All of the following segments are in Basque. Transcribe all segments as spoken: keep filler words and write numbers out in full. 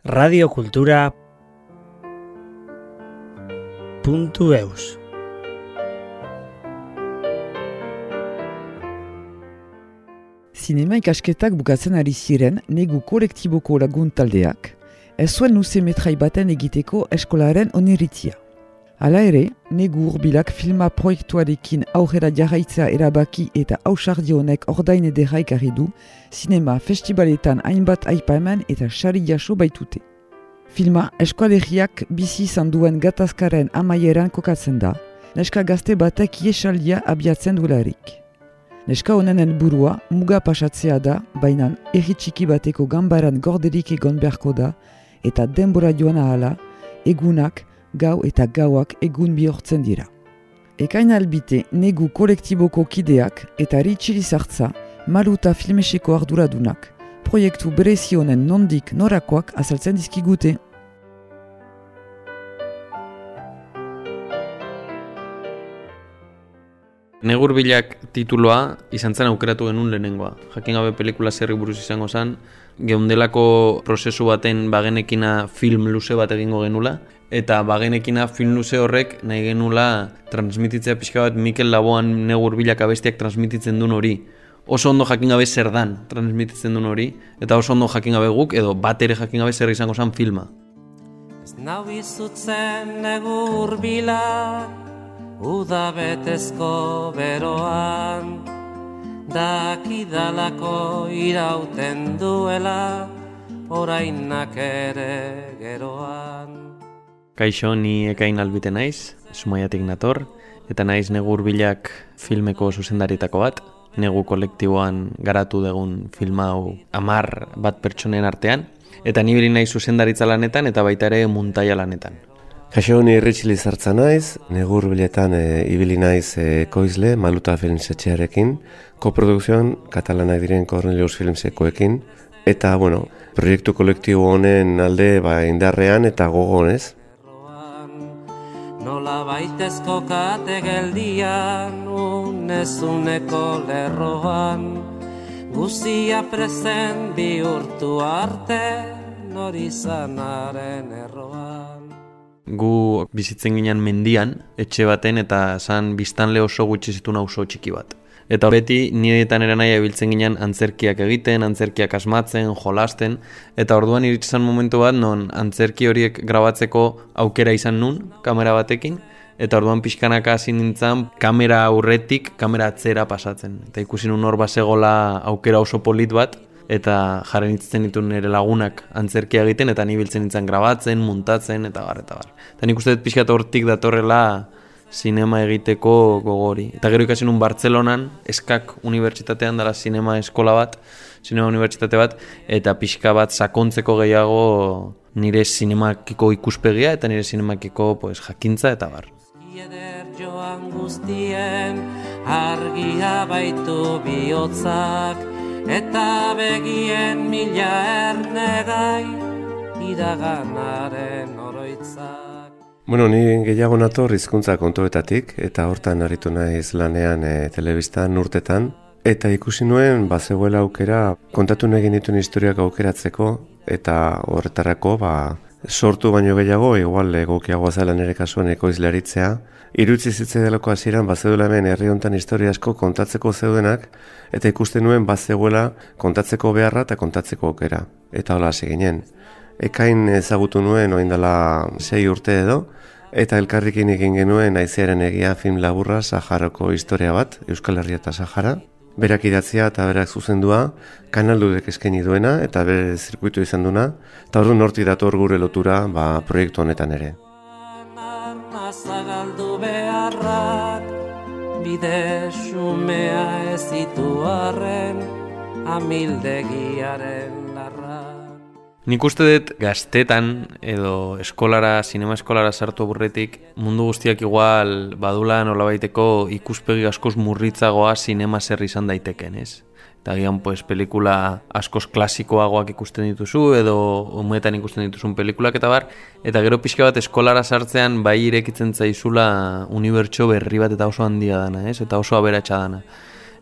radiokultura puntu eus. Zinema ikasketak bukatzen ari ziren negu kolektiboko lagun taldeak, ez zuen luze metrai baten egiteko eskolaren oniritzia. Hala ere, negu urbilak filma proiektuarekin aurrera jarraitzea erabaki eta ausardi honek ordain ederra ekarri du, zinema festivaletan hainbat aipamen eta sari jaso baitute. Filma eskualeriak bizi izan duen gatazkaren amaieran kokatzen da, neska gazte batek iesaldia abiatzen duelarik. Neska honen helburua muga pasatzea da, baina herri txiki bateko ganbaran gorderik egon beharko da, eta denbora joan ahala, egunak, gau eta gauak egun bihurtzen dira. Ekain albite negu kolektiboko kideak eta Ritxili Zartza, Maluta filmeseko arduradunak, proiektu berezi honen nondik norakoak azaltzen dizkigute. Negu Urbilak tituloa izan zen aukeratu genuen lehenengoa. Jakin gabe pelikula zerri buruz izango zen, geundelako prozesu baten bagenekina film luze bat egingo genula, eta bagenekina film luze horrek nahi genula transmititzea pixka bat Mikel Laboan Negu Urbilak abestiak transmititzen duen hori. Oso ondo jakin gabe zer dan transmititzen duen hori, eta oso ondo jakin gabe guk, edo bat ere jakin gabe zer izango zen filma. Ez nau izutzen Negu Urbilak, uda betezko beroan, dakidalako irauten duela, orainak ere geroan. Kaixo, ni Ekain albite naiz, Zumaiatik nator, eta naiz Negu Urbilak filmeko zuzendaritako bat, negu kolektiboan garatu dugun filma hau amar bat pertsonen artean, eta ni beri naiz zuzendaritza lanetan eta baita ere muntaia lanetan. Kaixo, ni Ritxili Zartza naiz, Negu Urbiletan e, ibili naiz e, koizle, Maluta Filmsetxearekin, koprodukzioan katalanak diren Cornelius Filmsekoekin, eta, bueno, proiektu kolektibo honen alde ba, indarrean eta gogonez. Nola baitezko kate geldian, unezuneko lerroan, guzia prezen bihurtu arte, nori zanaren erroan. Gu bizitzen ginen mendian, etxe baten eta zan biztanle oso gutxi zituen auzo txiki bat. Eta beti niretan eranai ebiltzen ginen antzerkiak egiten, antzerkiak asmatzen, jolasten, eta orduan iritsan momentu bat non antzerki horiek grabatzeko aukera izan nun, kamera batekin, eta orduan pixkanaka hasi nintzen kamera aurretik, kamera atzera pasatzen. Eta ikusi nun hor bazegola aukera oso polit bat, eta jarren itzen ditu nire lagunak antzerkia egiten, eta ni biltzen nintzen grabatzen, muntatzen, eta bar, eta bar. Eta nik uste dut pixkat hortik datorrela sinema egiteko gogori. Eta gero ikasi nun Bartzelonan, Eskak unibertsitatean dela sinema eskola bat, sinema unibertsitate bat, eta pixka bat sakontzeko gehiago nire sinemakiko ikuspegia, eta nire sinemakiko pues, jakintza, eta bar. Eder joan guztien, argia baitu bihotzak, eta begien mila ernegai, iraganaren oroitzak. Bueno, ni gehiago nator hizkuntza kontuetatik, eta hortan aritu naiz lanean e, telebistan urtetan, eta ikusi nuen bazegoela aukera kontatu egin dituen historiak aukeratzeko, eta horretarako ba, sortu baino gehiago, igual egokiagoa zela nire kasuan ekoizlaritzea, irutzi zitze delako hasieran bazegoela hemen herri hontan historia asko kontatzeko zeudenak, eta ikusten nuen bazegoela kontatzeko beharra eta kontatzeko aukera. Eta hola hasi ginen. Ekain ezagutu nuen orain dela sei urte edo, eta elkarrekin egin genuen Haizearen egia film laburra Saharako historia bat, Euskal Herria eta Sahara. Berak idatzia eta berak zuzendua, kanaldudek eskaini duena eta bere zirkuitu izan duna, eta orduan hortik dator gure lotura ba, proiektu honetan ere. Zagaldu beharrak, bide xumea ez ditu arren, amildegiaren larrak. Nik uste dut gaztetan edo eskolara, sinema eskolara sartu aburretik, mundu guztiak igual badula nolabaiteko ikuspegi askoz murritzagoa sinema zer izan daiteken, ez? Eta gian, pues, pelikula askoz klasikoagoak ikusten dituzu, edo umetan ikusten dituzun pelikulak eta bar, eta gero pixka bat eskolara sartzean bai irekitzen zaizula unibertso berri bat eta oso handia dana, ez? Eta oso aberatsa dana.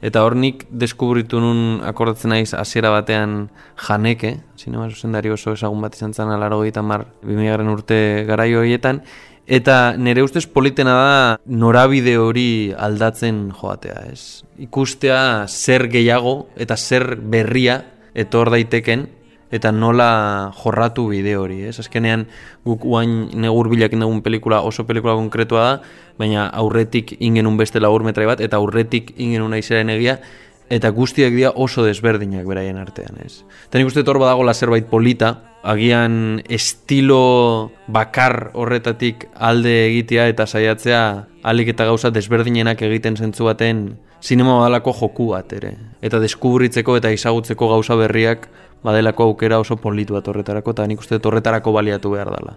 Eta hor nik deskubritu nun akordatzen naiz hasiera batean Janeke, zinema zuzendari oso ezagun bat izan zen laurogeita hamar bi mila urte garaio horietan, eta nire ustez politena da norabide hori aldatzen joatea, ez? Ikustea zer gehiago eta zer berria etor daiteken, eta nola jorratu bide hori, ez? Azkenean guk uain negur bilakin dugun pelikula oso pelikula konkretua da, baina aurretik ingenun beste laburmetrai bat, eta aurretik ingenun aizaren egia, eta guztiak dira oso desberdinak beraien artean, ez? Eta nik uste hor badagoela zerbait polita, agian estilo bakar horretatik alde egitea eta saiatzea alik eta gauza desberdinenak egiten zentzu baten zinema badalako joku bat ere. Eta deskubritzeko eta ezagutzeko gauza berriak badelako aukera oso politu bat horretarako, eta nik uste horretarako baliatu behar dela.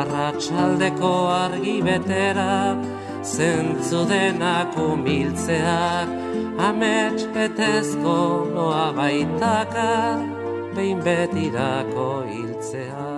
Arratsaldeko argi betera, zentzu denak umiltzeak, amets etezko noa baitaka, behin betirako hiltzea.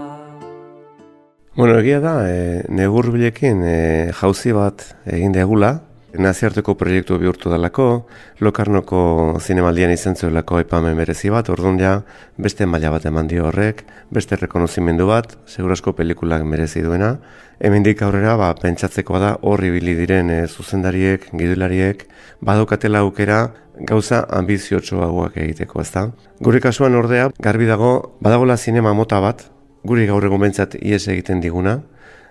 Bueno, egia da, e, negur bilekin e, jauzi bat egin degula, naziarteko proiektu bihurtu dalako, Lokarnoko zinemaldian izan zuelako aipamen merezi bat, orduan ja beste maila bat eman dio horrek, beste rekonozimendu bat, segurazko pelikulak merezi duena. Hemendik aurrera ba, pentsatzekoa da horri bili diren e, zuzendariek, gidulariek, badokatela aukera gauza ambiziotsuagoak egiteko, ezta? Gure kasuan ordea, garbi dago, badagola zinema mota bat, guri gaur egun bentsat ies egiten diguna,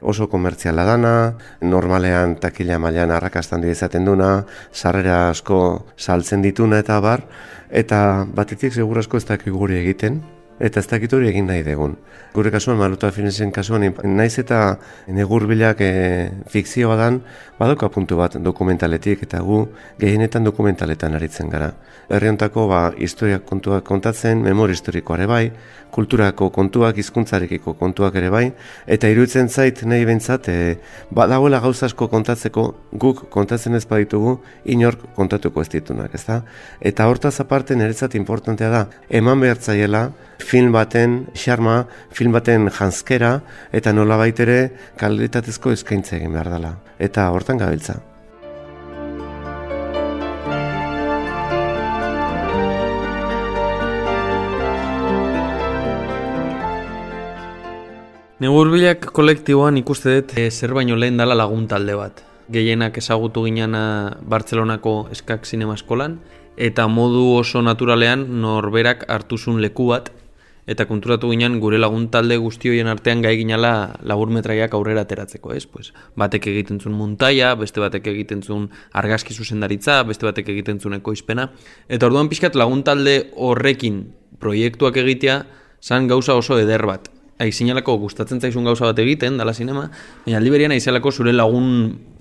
oso komertziala dana, normalean takila mailan arrakastan du izaten duna, sarrera asko saltzen dituna eta bar, eta batetik segurazko ez dakik guri egiten, eta ez dakit hori egin nahi degun. Gure kasuan, Maluta Filmsen kasuan, naiz eta negurbilak e, fikzioa dan, badoka puntu bat dokumentaletik, eta gu gehienetan dokumentaletan aritzen gara. Herriontako ba, historiak kontuak kontatzen, memori historikoare bai, kulturako kontuak, hizkuntzarekiko kontuak ere bai, eta iruditzen zait nahi bentsat, e, badagoela gauza asko kontatzeko, guk kontatzen ez baditugu, inork kontatuko ez ditunak, ezta? Eta hortaz aparte niretzat importantea da, eman behartzaiela film baten xarma, film baten janzkera, eta nolabait ere kalitatezko eskaintza egin behar dela. Eta hortan gabiltza. Negurbilak kolektiboan ikuste dut e, zer baino lehen dala lagun talde bat. Gehienak ezagutu ginana Bartzelonako Eskak Zinema Eskolan, eta modu oso naturalean norberak hartuzun leku bat, eta konturatu ginen gure lagun talde guztioien artean gai ginala laburmetraiak aurrera ateratzeko, ez? Pues, batek egiten zuen muntaia, beste batek egiten zuen argazki zuzendaritza, beste batek egiten zuen ekoizpena, eta orduan pixkat lagun talde horrekin proiektuak egitea zan gauza oso eder bat. Aizinalako gustatzen zaizun gauza bat egiten, dala zinema, baina aldi berian aizelako zure lagun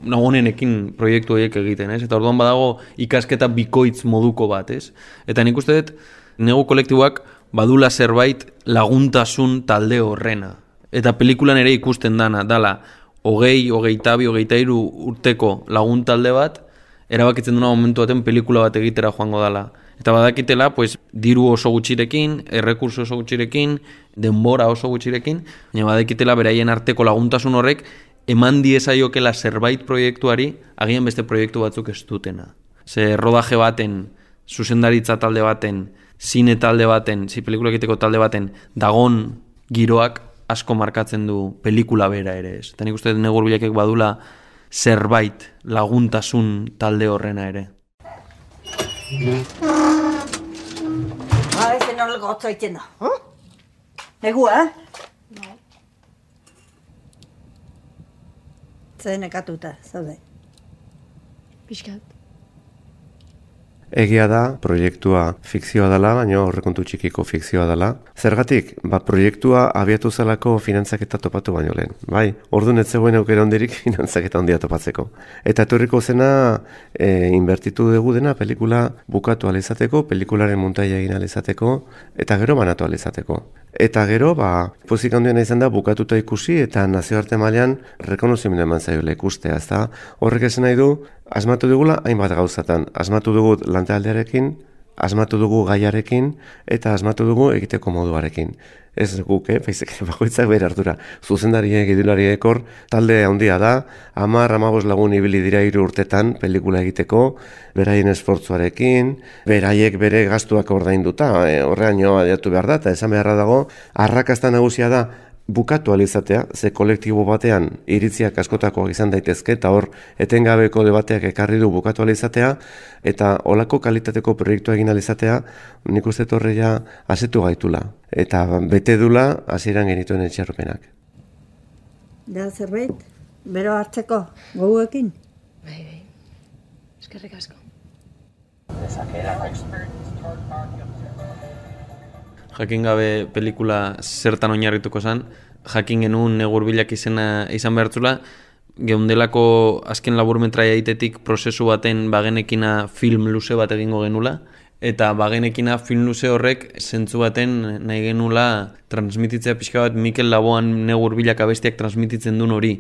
lagunenekin proiektu horiek egiten, ez? Eta orduan badago ikasketa bikoitz moduko bat, ez? Eta nik uste dut, negu kolektiboak badula zerbait laguntasun talde horrena. Eta pelikulan ere ikusten dana, dala, hogei, hogeita bi, hogeita hiru urteko lagun talde bat, erabakitzen duna momentu baten pelikula bat egitera joango dala. Eta badakitela, pues, diru oso gutxirekin, errekurso oso gutxirekin, denbora oso gutxirekin, baina badakitela beraien arteko laguntasun horrek eman diezaiokela zerbait proiektuari, agian beste proiektu batzuk ez dutena. Ze rodaje baten, zuzendaritza talde baten, zine talde baten, zi pelikula egiteko talde baten, dagon giroak asko markatzen du pelikula bera ere ez. Eta nik uste negurbilakek badula zerbait laguntasun talde horrena ere. Ah, ese no lo gotza egiten da. Negua, eh? Zer nekatuta, zaude. Piskat. Egia da, proiektua fikzioa dela, baina horrekontu txikiko fikzioa dela. Zergatik, ba, proiektua abiatu zelako finantzaketa topatu baino lehen. Bai, orduan ez zegoen aukera hondirik finantzaketa hondia topatzeko. Eta etorriko zena, e, inbertitu dugu dena pelikula bukatu alizateko, pelikularen muntaia egin alizateko, eta gero banatu alizateko. Eta gero, ba, pozik handiena izan da bukatuta ikusi eta nazioarte mailan rekonozimendu eman zaiola ikustea, ezta? Horrek esan nahi du, asmatu dugula hainbat gauzatan. Asmatu dugu lantaldearekin, asmatu dugu gaiarekin eta asmatu dugu egiteko moduarekin. ez guk, eh? Baizik, bakoitzak bere ardura. Zuzendariek, gidulariek hor, talde handia da, hamar, hamabost lagun ibili dira hiru urtetan pelikula egiteko, beraien esfortzuarekin, beraiek bere gastuak ordainduta, e, horreaino adiatu behar da, eta esan beharra dago, arrakasta nagusia da, bukatu alizatea, ze kolektibo batean iritziak askotakoak izan daitezke, eta hor etengabeko debateak ekarri du bukatu alizatea, eta olako kalitateko proiektua egin alizatea, nik uste torreia asetu gaitula. Eta bete dula hasieran genituen etxarropenak. Da zerbait, bero hartzeko, goguekin? Bai, bai. Eskerrik asko. Jakin gabe pelikula zertan oinarrituko zen, jakin genuen negurbilak izena izan behartzula, geundelako azken laburmetraia egitetik prozesu baten bagenekina film luze bat egingo genula, eta bagenekina film luze horrek zentzu baten nahi genula transmititzea pixka bat Mikel Laboan negurbilak abestiak transmititzen duen hori.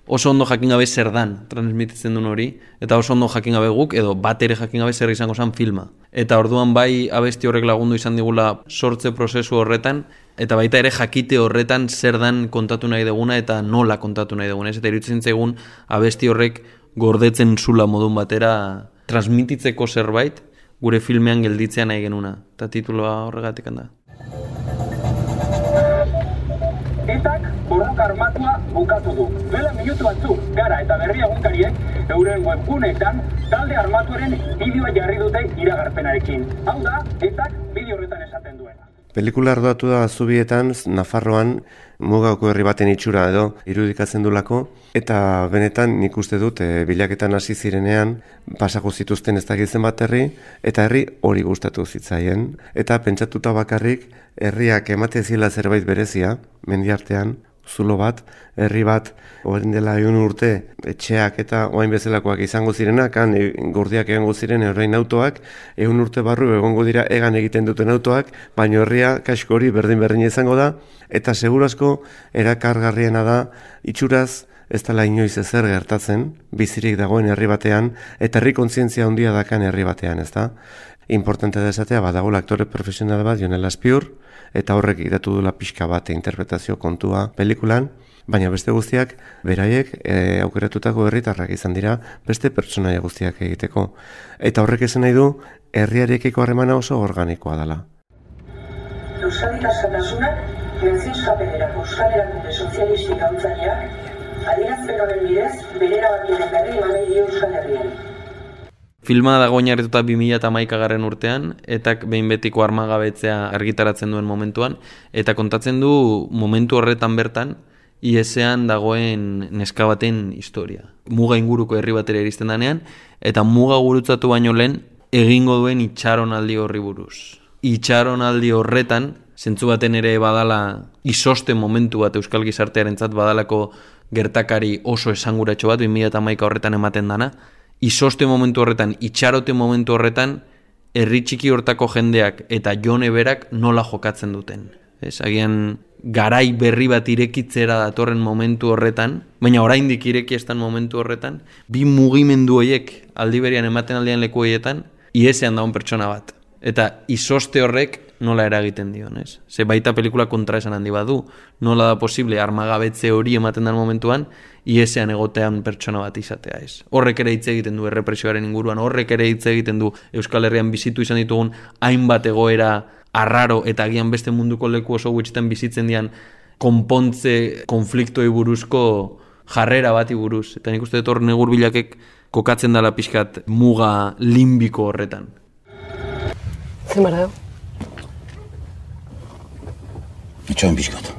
Oso ondo jakin gabe zer dan transmititzen duen hori, eta oso ondo jakin gabe guk, edo bat ere jakin gabe zer izango zen filma. Eta orduan bai abesti horrek lagundu izan digula sortze prozesu horretan, eta baita ere jakite horretan zer dan kontatu nahi duguna eta nola kontatu nahi duguna. Eta iruditzen zaigun abesti horrek gordetzen zula modun batera transmititzeko zerbait gure filmean gelditzea nahi genuna. Eta tituloa horregatik handa. Etak borroka armatua bukatu du. Duela minutu batzu, Gara eta Berria egunkariek euren webguneetan talde armatuaren bideoa jarri dute iragarpenarekin. Hau da, etak bideo horretan esaten duena. Pelikula arduratu da Zubietan, Nafarroan, mugako herri baten itxura edo irudikatzen dulako, eta benetan nik uste dut e, bilaketan hasi zirenean pasako zituzten ez dakitzen bat herri, eta herri hori gustatu zitzaien, eta pentsatuta bakarrik herriak emate zila zerbait berezia, mendiartean, zulo bat, herri bat, orain dela ehun urte, etxeak eta orain bezalakoak izango zirenak, han gordiak egongo ziren orain autoak, ehun urte barru egongo dira egan egiten duten autoak, baina herria kasko hori berdin-berdin izango da, eta seguru asko erakargarriena da itxuraz ez dela inoiz ezer gertatzen, bizirik dagoen herri batean, eta herri kontzientzia handia dakan herri batean, ez da? Importante da esatea, badagoela aktore profesional bat, Jon Elazpiur, eta horrek idatu dula pixka bat interpretazio kontua pelikulan, baina beste guztiak, beraiek e, aukeratutako herritarrak izan dira, beste pertsonaia guztiak egiteko. Eta horrek esan nahi du, herriarekiko harremana oso organikoa dela. Euskadi Askatasunak, Franziskapenera Euskal Erakunde Sozialistik gautzaileak, adierazpen horren bidez, bere erabakiaren berri eman dio Euskal Herriari. Filma dago oinarrituta bi mila hamaikagarren urtean, etak behin betiko armagabetzea argitaratzen duen momentuan, eta kontatzen du momentu horretan bertan, I S-ean dagoen neska baten historia. Muga inguruko herri batera iristen danean, eta muga gurutzatu baino lehen egingo duen itxaronaldi horri buruz. Itxaronaldi horretan, zentzu baten ere badala izoste momentu bat euskal gizartearentzat badalako gertakari oso esanguratxo bat, bi mila hamaika horretan ematen dana, izoste momentu horretan, itxarote momentu horretan, herri txiki hortako jendeak eta Jone berak nola jokatzen duten. Ez, agian garai berri bat irekitzera datorren momentu horretan, baina oraindik ireki estan momentu horretan, bi mugimendu horiek aldi berian ematen aldean leku horietan, iesean daun pertsona bat. Eta izoste horrek nola eragiten dion, ez? Ze baita pelikula kontra esan handi badu, nola da posible armagabetze hori ematen den momentuan, iesean egotean pertsona bat izatea, ez? Horrek ere hitz egiten du errepresioaren inguruan, horrek ere hitz egiten du Euskal Herrian bizitu izan ditugun hainbat egoera arraro eta agian beste munduko leku oso gutxitan bizitzen dian konpontze konfliktoi buruzko jarrera bati buruz. Eta nik uste dut hor negurbilakek kokatzen dala pixkat muga limbiko horretan. Zemara? Itxoen pixkat.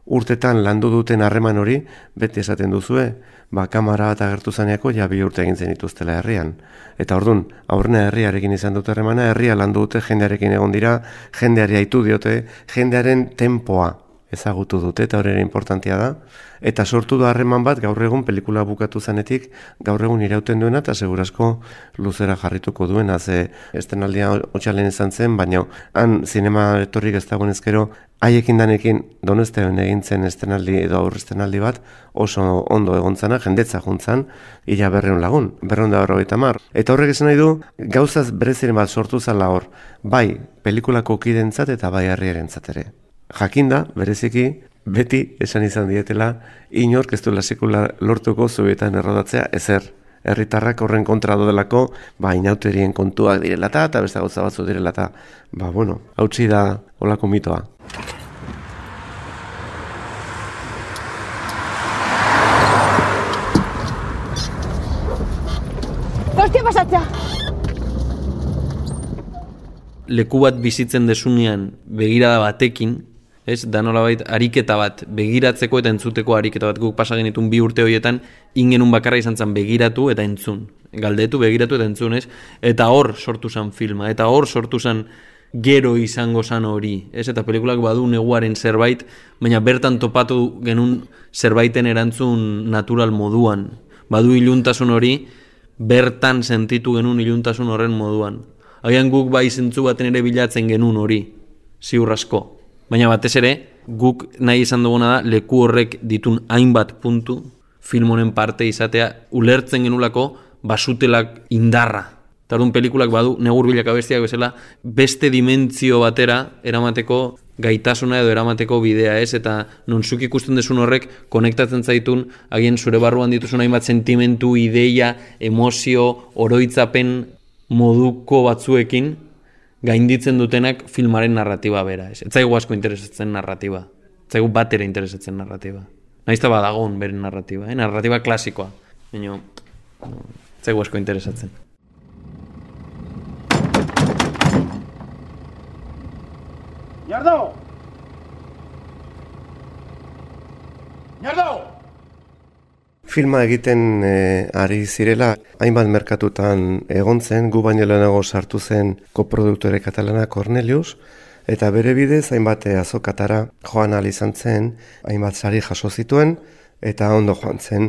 Urtetan landu duten harreman hori, beti esaten duzue, ba, kamara bat agertu zaneako ja bi urte egin zen dituztela herrian. Eta orduan, aurrena herriarekin izan dute harremana, herria landu dute, jendearekin egon dira, jendeari aitu diote, jendearen tempoa ezagutu dute eta hori ere importantea da. Eta sortu da harreman bat gaur egun pelikula bukatu zanetik gaur egun irauten duena eta segurazko luzera jarrituko duena. Ze estenaldia otxalen izan zen, baina han zinema etorrik ez dagoen ezkero haiekin danekin Donostian egin zen estenaldi edo aurre estenaldi bat oso ondo egontzana, jendetza juntzan, ila berreun lagun, berreun da berrogeita hamar. Eta horrek esan nahi du, gauzaz bereziren bat sortu zala hor, bai pelikulako kidentzat eta bai herriarentzat ere. Jakinda, bereziki, beti esan izan dietela, inork ez duela sekula lortuko zubietan errodatzea ezer. Herritarrak horren kontra dodelako, ba, inauterien kontuak direlata eta beste gauza batzu direlata. Ba, bueno, hautsi da olako mitoa. Hostia pasatzea! Leku bat bizitzen desunean begirada batekin, ez, da nolabait ariketa bat, begiratzeko eta entzuteko ariketa bat, guk pasa genitun bi urte horietan, ingenun bakarra izan zen begiratu eta entzun. Galdetu, begiratu eta entzun, ez? Eta hor sortu zen filma, eta hor sortu zen gero izango zen hori, ez? Eta pelikulak badu neguaren zerbait, baina bertan topatu genuen zerbaiten erantzun natural moduan. Badu iluntasun hori, bertan sentitu genuen iluntasun horren moduan. Agian guk bai zentzu baten ere bilatzen genuen hori, ziur asko. Baina batez ere, guk nahi izan duguna da, leku horrek ditun hainbat puntu, film honen parte izatea, ulertzen genulako basutelak indarra. Eta orduan pelikulak badu, negur bilak abestiak bezala, beste dimentsio batera eramateko gaitasuna edo eramateko bidea, ez? Eta non zuk ikusten desun horrek, konektatzen zaitun, agian zure barruan dituzun hainbat sentimentu, ideia, emozio, oroitzapen moduko batzuekin, gainditzen dutenak filmaren narratiba bera, ez? Ez zaigu asko interesatzen narratiba. Ez zaigu bat ere interesatzen narratiba. Naizta badagon beren narratiba, eh? Narratiba klasikoa. Baina, ez zaigu asko interesatzen. Ñardo! Ñardo! Filma egiten e, ari zirela, hainbat merkatutan egon zen, gu baino lehenago sartu zen koproduktore katalana Cornelius, eta bere bidez hainbat azokatara joan ahal izan zen, hainbat sari jaso zituen, eta ondo joan zen.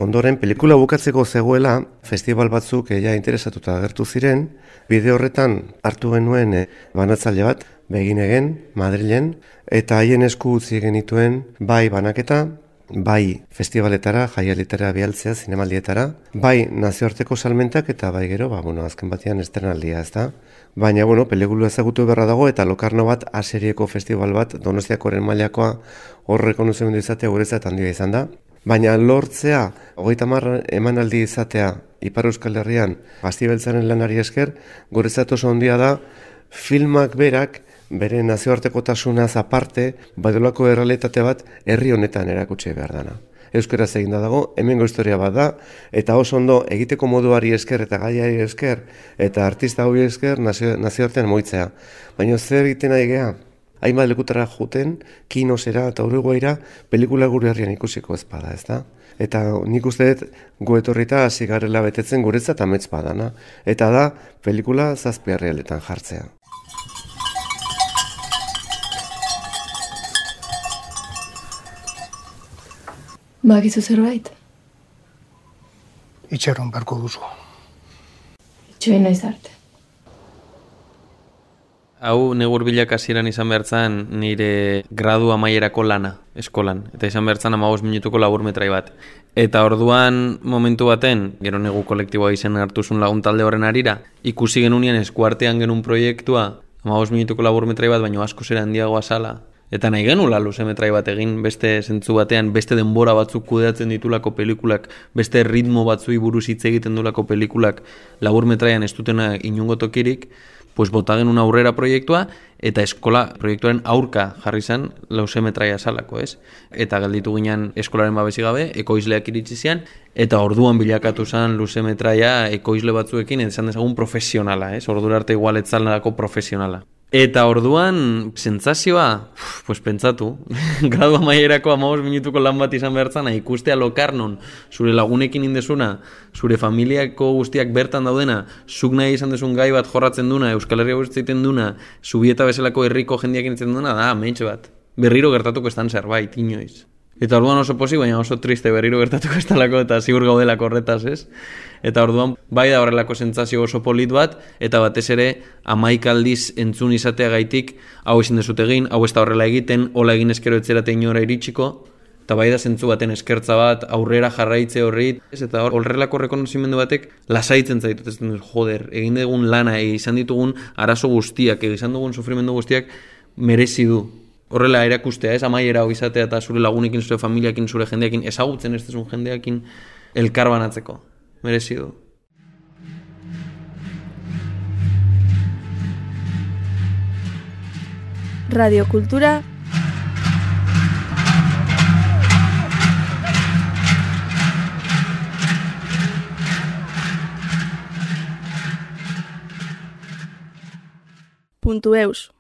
Ondoren, pelikula bukatzeko zegoela, festival batzuk ja interesatuta agertu ziren, bide horretan hartu genuen e, banatzaile bat, Beginegen, Madrilen, eta haien esku utzi genituen bai banaketa, bai festivaletara, jaialitara bialtzea, zinemaldietara, bai nazioarteko salmentak eta bai gero, ba, bueno, azken batean estrenaldia, ez da? Baina, bueno, pelikula ezagutu beharra dago eta Lokarno bat aserieko festival bat, Donostiakoren mailakoa horreko nuzimendu izatea guretzat handia izan da. Baina lortzea, hogeita hamar emanaldi izatea Ipar Euskal Herrian, Bastibeltzaren lanari esker, guretzat oso handia da, filmak berak, bere nazioartekotasunaz aparte, badolako errealitate bat herri honetan erakutsi behar dana. Euskaraz egin da dago, hemengo historia bat da, eta oso ondo egiteko moduari esker eta gaiari esker, eta artista hori esker nazio, nazioartean moitzea. Baina zer egiten ari geha? Hainbat lekutara juten, kinosera eta Uruguaira pelikula gure herrian ikusiko ez bada, ez da? Eta nik uste dut gu etorrita hasi garela betetzen guretzat amets badana. Eta da, pelikula zazpi herrialdetan jartzea. Bakizu zerbait? Itxaron barko duzu. Itxoin naiz arte. Hau negur bilak hasieran izan behartzan nire gradu amaierako lana, eskolan. Eta izan behartzan hamabost minutuko laburmetrai bat. Eta orduan momentu baten, gero negu kolektiboa izen hartuzun lagun talde horren arira, ikusi genunean eskuartean genuen proiektua, hamabost minutuko laburmetrai bat, baino asko zera handiagoa zala. Eta nahi genula luzemetrai bat egin, beste zentzu batean, beste denbora batzuk kudeatzen ditulako pelikulak, beste ritmo batzui buruz hitz egiten dulako pelikulak laburmetraian ez dutena inungo tokirik, pues bota genuen aurrera proiektua, eta eskola proiektuaren aurka jarri zen lausemetraia salako, ez? Eta gelditu ginen eskolaren babesi gabe, ekoizleak iritsi zian, eta orduan bilakatu zen luzemetraia ekoizle batzuekin, esan dezagun profesionala, ez? Ordura arte igual etzalako profesionala. Eta orduan, sentsazioa, pues pentsatu, gradu amaierako hamabost minutuko lan bat izan behartzana, ikustea Lokarnon, zure lagunekin indezuna, zure familiako guztiak bertan daudena, zuk nahi izan dezun gai bat jorratzen duna, Euskal Herria guztietan duna, Zubieta bezalako herriko jendiak initzen duna, da, mentxe bat. berriro gertatuko estan zerbait, inoiz. Eta orduan oso pozik, baina oso triste berriro gertatuko estalako eta ziur gaudelako horretaz, ez? Eta orduan bai da horrelako sentsazio oso polit bat, eta batez ere hamaika aldiz entzun izateagaitik hau ezin dezut egin, hau ez da horrela egiten, hola egin eskero etzerate inora iritsiko, eta bai da zentzu baten eskertza bat, aurrera jarraitze horri, ez? Eta horrelako rekonozimendu batek lasaitzen zaitut, ez dut, joder, egin dugun lana, izan ditugun arazo guztiak, izan dugun sufrimendu guztiak merezi du. Horrela erakustea, ez, amaiera hau izatea eta zure lagunekin, zure familiakin, zure jendeakin, ezagutzen ez dezun jendeakin elkar banatzeko. Merezi du. Radio Kultura puntu eus